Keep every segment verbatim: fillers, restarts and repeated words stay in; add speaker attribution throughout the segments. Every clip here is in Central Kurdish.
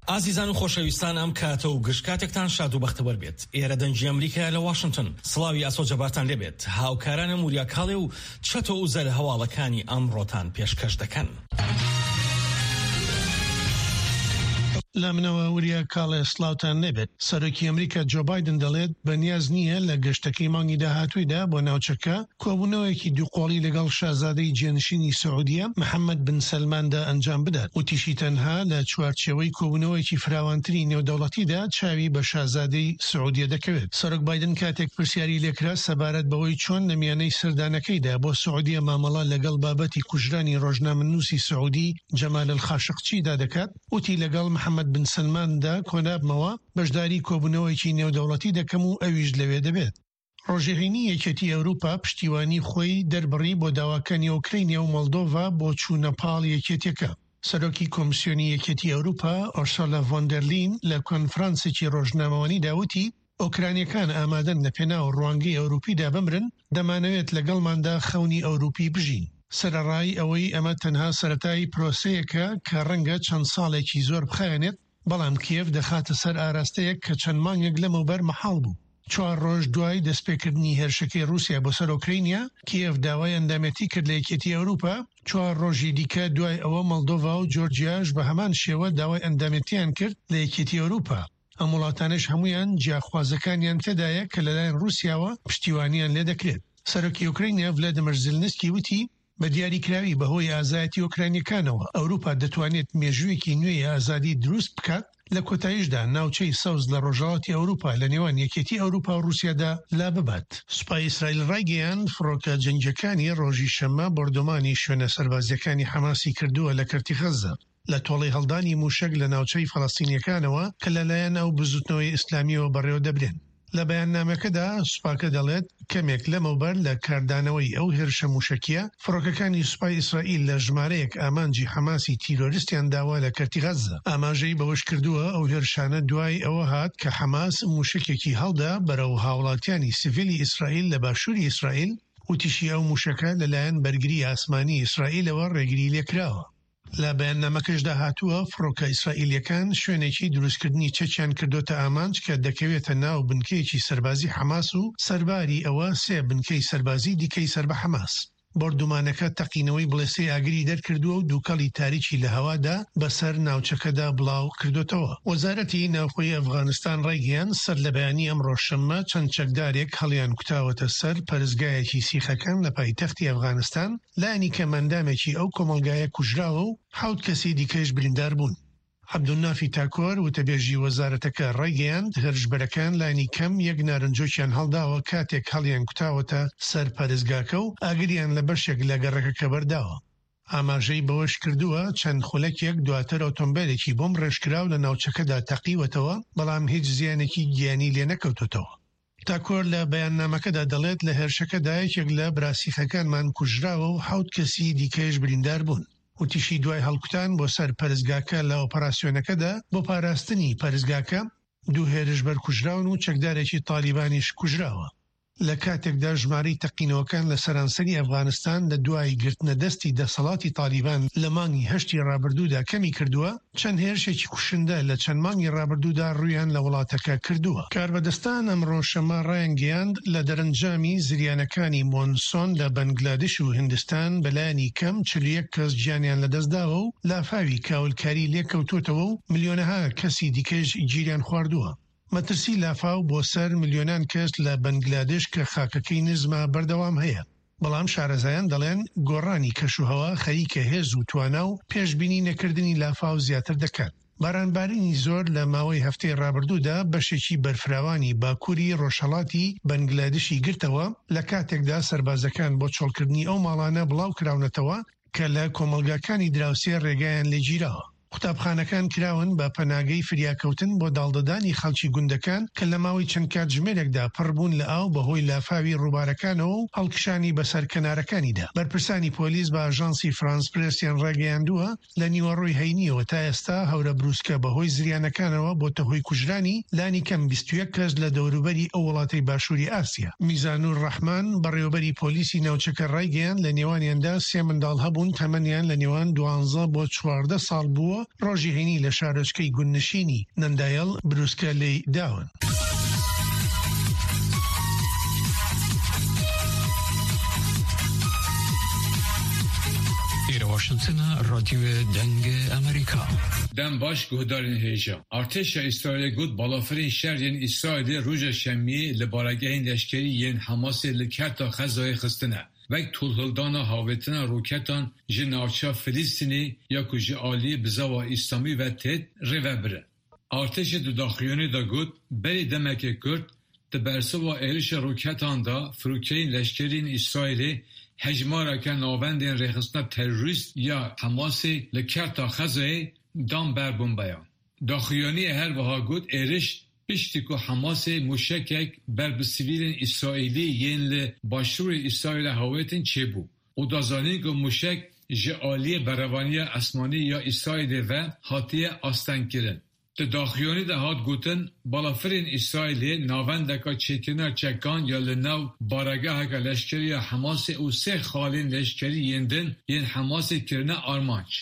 Speaker 1: ئازیزان و خۆشەویستان، ئەم کاتە و گشت کاتێکتان شاد و بەختەوەر بێت. ئێرە دەنگی ئەمریکا لە واشنگتن. سڵاوی ئاسۆ جەبارتان لێبێت. هاوکارانم وریا کاڵێ و چەتۆ و زەر هەواڵەکانی ئەمڕۆتان پێشکەش دەکەن.
Speaker 2: لە منەوە وریا کاڵێ، سڵاوتان نەبێت. سەرۆکی ئەمریکا جۆ بایدن دەڵێت بەنیاز نییە لە گەشتەکەی مانگی داهاتوویدا بۆ ناوچەکە کۆبوونەوەیەکی دووقۆڵی لەگەڵ شازادەی جێنشینی سعودیە محەممەد بن سەلماندا ئەنجام بدات. وتیشی تەنها لە چوارچێوەی کۆبوونەوەیەکی فراوانتری نێودەوڵەتیدا چاوی بە شازادەی سعودیە دەکەوێت. سەرۆک بایدن کاتێک پرسیاری لێکرا سەبارەت بەوەی چۆن لە میانەی سەردانەکەیدا بۆ سعودیە مامەڵە لەگەڵ بابەتی کوژرانی ڕۆژنامەنووسی سعودی جەمال الخاشقچیدا دەکات، وتی لەگەڵ محەممەد بن سەلماندا کۆنابمەوە، بەشداری کۆبوونەوەیەکی نێودەوڵەتی دەکەم و ئەویش لەوێ دەبێت. ڕۆژی هەینی یەکێتی ئەوروپا پشتیوانی خۆی دەربڕی بۆ داواکانی ئۆکرینیا و مۆلدۆڤا بۆ چوونە پاڵ یەکێتیەکە. سەرۆکی کۆمسیۆنی یەکێتی ئەوروپا ئۆرسۆلا ڤۆندەرلین لە کۆنفرانسێکی ڕۆژنامەوانیدا وتی ئۆکرانیەکان ئامادەن لە پێناو ڕوانگەی ئەوروپیدا بمرن، دەمانەوێت لەگەڵماندا خەونی ئەوروپی بژین. سەرەڕای ئەوەی ئەمە تەنها سەرەتای پرۆسەیەکە کە ڕەنگە چەند ساڵێکی زۆر بخایەنێت، بەڵام کیێڤ دەخاتە سەر ئاراستەیەک کە چەند مانگێک لەمەوبەر مەحاڵ بوو. چوار ڕۆژ دوای دەستپێکردنی هێرشەکەی رووسیا بۆ سەر ئۆکرینیا، کیێڤ داوای ئەندامێتی کرد لە یەکێتی ئەوروپا. چوار ڕۆژی دیکە دوای ئەوە مۆلدۆڤا و جۆرجیاش بە هەمان شێوە داوای ئەندامێتیان کرد لە یەکێتی ئەوروپا. ئەم وڵاتانش هەمویان جیاخوازەکانیان تێدایە کە لەلایەن رووسیاوە پشتیوانیان لێدەکرێت. سەرۆکی ئۆکرینیا ڤلادیمیر زیلنسکی وتی بە دیاریکراوی بەهۆی ئازایەتی ئۆکرانیەکانەوە ئەوروپا دەتوانێت مێژوویەکی نوێی ئازادی دروست بکات، لە کۆتاییشدا ناوچەی سەوز لە ڕۆژهەڵاتی ئەوروپا لە نێوان یەکێتی ئەوروپا و رووسیادا لا ببات. سوپای ئیسرائیل ڕایگەیاند فڕۆکە جەنگیەکانی ڕۆژی شەممە بۆردومانی شوێنە سەربازیەکانی حەماسی کردووە لە کەرتی غەززە لە تۆڵەی هەڵدانی موشک لە ناوچەی فەلەستینیەکانەوە کە لەلایەن ئەو بزوتنەوەی ئیسلامیەوە بەڕێوە دەبرێن. لە بەیاننامەکەدا سوپاکە دەڵێت کەمێک لەمەوبەر لە کاردانەوەی ئەو هێرشە موشکیە، فڕۆکەکانی سوپای ئیسرائیل لە ژمارەیەک ئامانجی حەماسی تیرۆریستیان داوا لە کەرتی غەززە. ئاماژەی بەوەش کردووە ئەو هێرشانە دوای ئەوە هات کە حەماس موشکێکی هەڵدا بەرەو هاوڵاتیانی سیڤیلی ئیسرائیل لە باشووری ئیسرائیل. وتیشی ئەو موشەکە لەلایەن بەرگری ئاسمانی ئیسرائیلەوە ڕێگری لێکراوە. لە بەیاننامەکەشدا هاتووە فڕۆکە ئیسرائیلیەکان شوێنێکی دروستکردنی چەکیان کردوتە ئامانج کە دەکەوێتە ناو بنکەیەکی سەربازی حەماس و سەرباری ئەوە سێ بنکەی سەربازی دیکەی سەر بە حەماس. بۆردومانەکە تەقینەوەی بڵێسەی ئاگری دەرکردووە و دووکەڵی تاریکی لە هەوادا بەسەر ناوچەکەدا بڵاو کردوتەوە. وەزارەتی ناوخۆی ئەفغانستان ڕایگەیاند سەر لە بەیانی ئەمڕۆ شەممە چەند چەکدارێک هەڵیان کوتاوەتە سەر پەرستگایەکی سیخەکان لە پایتەختی ئەفغانستان، لانی کەم ئەندامێکی ئەو کۆمەڵگایە کوژراوە و حەوت کەسی دیکەش بریندار بوون. عەبدولنافی تاکۆر وتەبێژی وەزارەتەکە ڕایگەیاند هێرشبەرەکان لانی کەم یەک نارنجۆکیان هەڵداوە کاتێک هەڵیان کوتاوەتە سەر پەرستگاکە و ئاگریان لە بەشێک لە گەڕەکەکە بەرداوە. ئاماژەی بەوەش کردووە چەند خولەکێک دواتر ئۆتۆمبیلێکی بۆم ڕێژکراو لە ناوچەکەدا تەقیوەتەوە، بەڵام هیچ زیانێکی گیانی لێ نەکەوتوتەوە. تاکۆر لە بەیاننامەکەدا دەڵێت لە هێرشەکەدا یەکێک لە براسیخەکانمان کوژراوە و حەوت کەسی دیکەش بریندار بوون. وتیشی دوای هەڵکوتان بۆ سەر پەرستگاکە لە ئۆپەراسیۆنەکەدا بۆ پاراستنی پەرستگاکە دوو هێرشبەر کوژراون و چەکدارێکی تالیبانیش کوژراوە. لە کاتێکدا ژمارەی تەقینەوەکان لە سەرانسەری ئەفغانستان لە دوای گرتنە دەستی دەسەڵاتی تالیبان لە مانگی هەشتی ڕابردوودا کەمی کردووە، چەند هێرشێکی کوشندە لە چەند مانگی ڕابردوودا ڕوویان لە وڵاتەکە کردووە. کاربەدەستان ئەمڕۆ شەممە ڕایانگەیاند لە دەرەنجامی زریانەکانی مۆنسۆن لە بەنگلادش و هندستان بەلایەنی کەم چل و یەک کەس گیانیان لەدەستداوە و لافاوی کاولکاری لێکەوتوتەوە و ملیۆنەها کەسی دیکەش گیریان خواردووە. مەترسی لافاو بۆ سەر ملیۆنان کەس لە بەنگلادش کە خاکەکەی نزمە بەردەوام هەیە، بەڵام شارەزایان دەڵێن گۆڕانی کەشوهەوا خەریکە هێز و توانا و پێشبینی نەکردنی لافاو زیاتر دەکات. بارانبارینی زۆر لە ماوەی هەفتەی ڕابردوودا بەشێکی بەرفراوانی باکووری ڕۆژهەڵاتی بەنگلادشی گرتەوە، لە کاتێکدا سەربازەکان بۆ چۆڵکردنی ئەو ماڵانە بڵاو کراونەتەوە کە لە کۆمەڵگاکانی دراوسێ ڕێگایان لێگیراوە. قوتابخانەکان کراون بە پەناگەی فریاکەوتن بۆ داڵدەدانی خەڵکی گوندەکان کە لە ماوەی چەند کاتژمێرێکدا پڕبوون لە ئاو بەهۆی لافاوی ڕووبارەکانەوە و هەڵکشانی بەسەر کەنارەکانیدا. بەرپرسانی پۆلیس بە ئاژانسی فرانس پرێسیان ڕاگەیاندووە لە نیوەڕۆی هەینیەوە تا ئێستا هەورە بروسکە بەهۆی زریانەکانەوە بۆتە هۆی کوژرانی لانی کەم بیست و یەک کەس لە دەوروبەری ئەو وڵاتەی باشووری ئاسیا. میزانور ڕەحمان بەڕێوەبەری پۆلیسی ناوچەکە ڕایگەیاند لە نێوانیاندا سێ منداڵ هەبوون تەمەنیان لە نێوان دوانزە بۆ چواردە ساڵ بووە ڕۆژی هەینی لە شارۆچکەی گوندنشینی نەندایل بروسکە لێی داون.
Speaker 3: واشنگتن رادیو دەنگ ئەمریکا.
Speaker 4: دەم باش guhdarên hêja. Artêşa Îsraîlê got balafirên şer yên Îsraîlê roja şemiyê li baregehên leşkerî yên Hemasê li Kerta Xezayê xistine. Wek tolhildana havêtina roketan ji navça Filistînê ya ku ji aliyê bizava İslamî ve têt rêvebirin. Artêşê di daxuyaniyê de got berê demeke kurt di bersiva êrişa roketan de firokeyên leşkeriyên Îsraîlê hejmareke navendên rêxistina terorîst ya Hemasê li Kerta Xezayê dan ber bombeyan. Daxuyaniyê her wiha got êriş piştî ku Hemasê mûşekek ber bi sivîlên Îsraîlî yên li başûrê Îsraîlê hawêtin çêbû û da zanîn ku mûşek ji aliyê berevaniya esmanî ya Îsraîlê ve hatiye astengkirin. Di daxuyanî de hat gotin balafirên Îsraîlê navendeka çêkirina çekan ya li nav baregeheke leşkerî ya Hemasê û sê xalên leşkerî yên din yên Hemasê kirine armanc.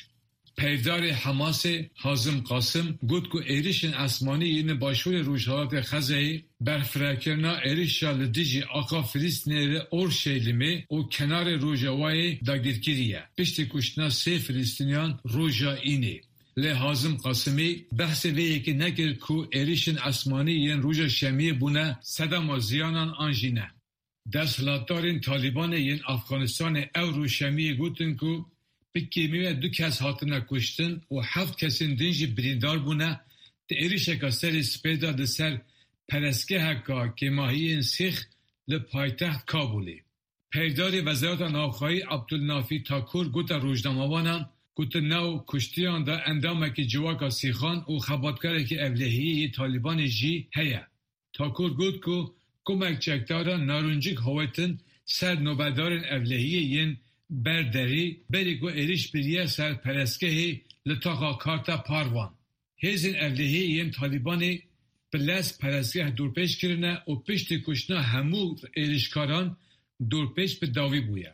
Speaker 4: Peyvdarê Hemasê Hazim Qasim got ku êrişên esmanî yên li başûrê Rojhilatê Xezeyê berfirekirina êrişa li dijî axa Filistînê li Orşelîmê û kenarê Rojavayê dagirkirî ye. Piştî kuştina sê Filistîniyan roja Înê. Lê Hazim Qasimî behsê vê yekê nekir ku êrişên esmanî yên roja şemiyê bûne sedema ziyanan an jî ne. Desthilatdarên Talîbanê yên Afganistanê ew roj şemiyê gotin ku bi kêmî ve du kes hatine kuştin û heft kesên din jî birîndar bûne di êrişeka serê spê de li ser perestgeheka kêmahiyên Sîx li paytext Kabulê. Peyvdarê Wezareta Navxweyî Abdulnafî Takur gote rojnamevanan ku di nav kuştiyan de endamekî civaka Sîxan û xebatkarekî ewlehiyê yê Talîbanê jî heye. Takur got ku komek çekdaran naruncik hawetin ser nobedarên ewlehiyê yên berderî berî ku êriş biriye ser perestgehê li taxa Karta Parvan. Hêzên ewlehiyê yên Talîbanê bi lez perestgeh dorpêç kirine û piştî kuştina hemû êrişkaran dorpêç bi dawî bûye.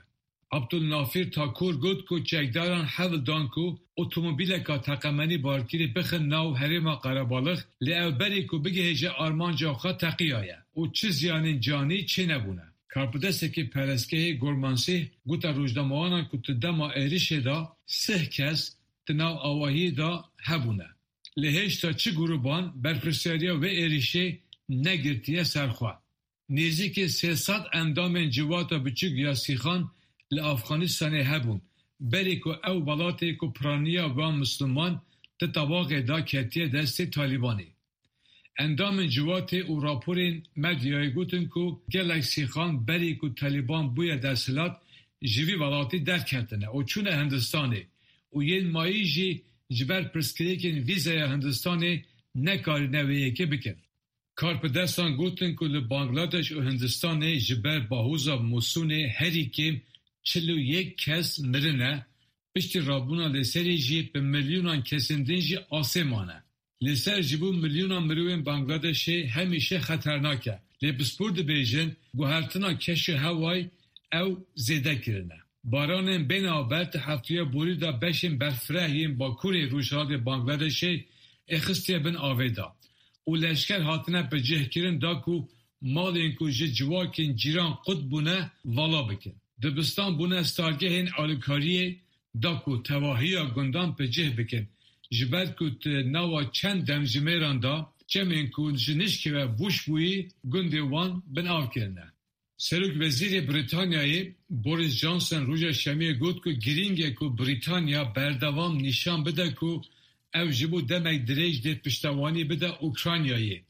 Speaker 4: Abdulnafir Takur got ku çekdaran hewl dan ku otomobîleka teqemenî barkirî bixin nav herêma qerebalix lê ew berî ku bigihêje armanca xwe teqiyaye û çi ziyanên canî çênebûne. Karpidesekî perestgehê Gormansîh gote rojnamevanan ku di dema êrişê de sih kes di nav avahiyê de hebûne. Lê hêjta çi grûban berpirsyariya vê êrişê negirtiye ser xwe. Nêzîkê sê sed endamên civata biçûk ya Sîxan li Afganistanê hebûn. Berê ku ew welatê ku piraniya wan Misliman di tebaxê de ketiye destê Talîbanê. Endamên civatê û raporên medyayê gotin ku gelek Sîxan berî ku Talîban bûye desthilat ji vî welatî derketine û çûne Hindistanê û yên mayî jî ji ber pirsgirêkên vîzeya Hindistanê nekarîne wê yekê bikin. Karpidestan gotin ku li Bangladeş û Hindistanê ji ber bahoza Mûsûnê herî kêm çil û yek kes mirine, piştî rabûna li serê jî bi milyonan kesên din jî asê mane. Li ser ji bo milyonan mirovên Bangladeşê hemîşe xeternak e. Lê pispor dibêjin guhertina keşê hewayê ew zêde kirine. Baranên bênaber di hefteya borî de beşên berfireh yên Bakurê Rojhilatê Bangladeşê êxistiye bin avê de û leşker hatine bicihkirin da ku malên ku ji civakên cîran qut bûne vala bikin. Dibistan bûne stargehên alîkariyê da ku tevahiya gundan bicih bikin. Ji ber ku di nava çend demjimêran de çemên ku ji nişkê ve bûş bûyî gundê wan bin av kirine. Serokwezîrê Brîtanyayê Boris Johnson roja şemiyê got ku girîng e ku Brîtanya berdewam nîşan bide ku ew ji bo demek dirêj dê piştevanî bide Ukraynayê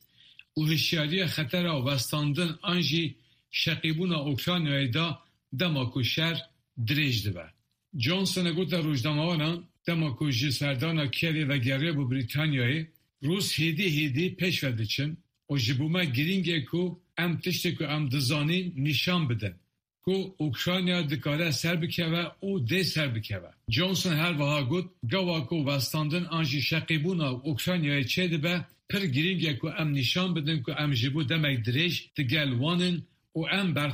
Speaker 4: û hişyariya xetera westandin an jî şeqîbûna Ukraynayê da dema ku şer dirêj dibe. Johnson gote rojnamevanan dema ku ji serdana Kievê vegeriya bo Brîtanyayê Rûs hêdî hêdî pêş ve diçin û ji bo me girîng e ku em tiştê ku em dizanîn nîşan bidin ku Ukrayna dikare serbikeve û dê serbikeve. Johnson her wiha got gawa ku westandin an jî şeqîbûna Ukraynayê çêdibe pir girîng e ku em nîşan bidin ku em ji bo demek dirêj digel wan in û em berxwe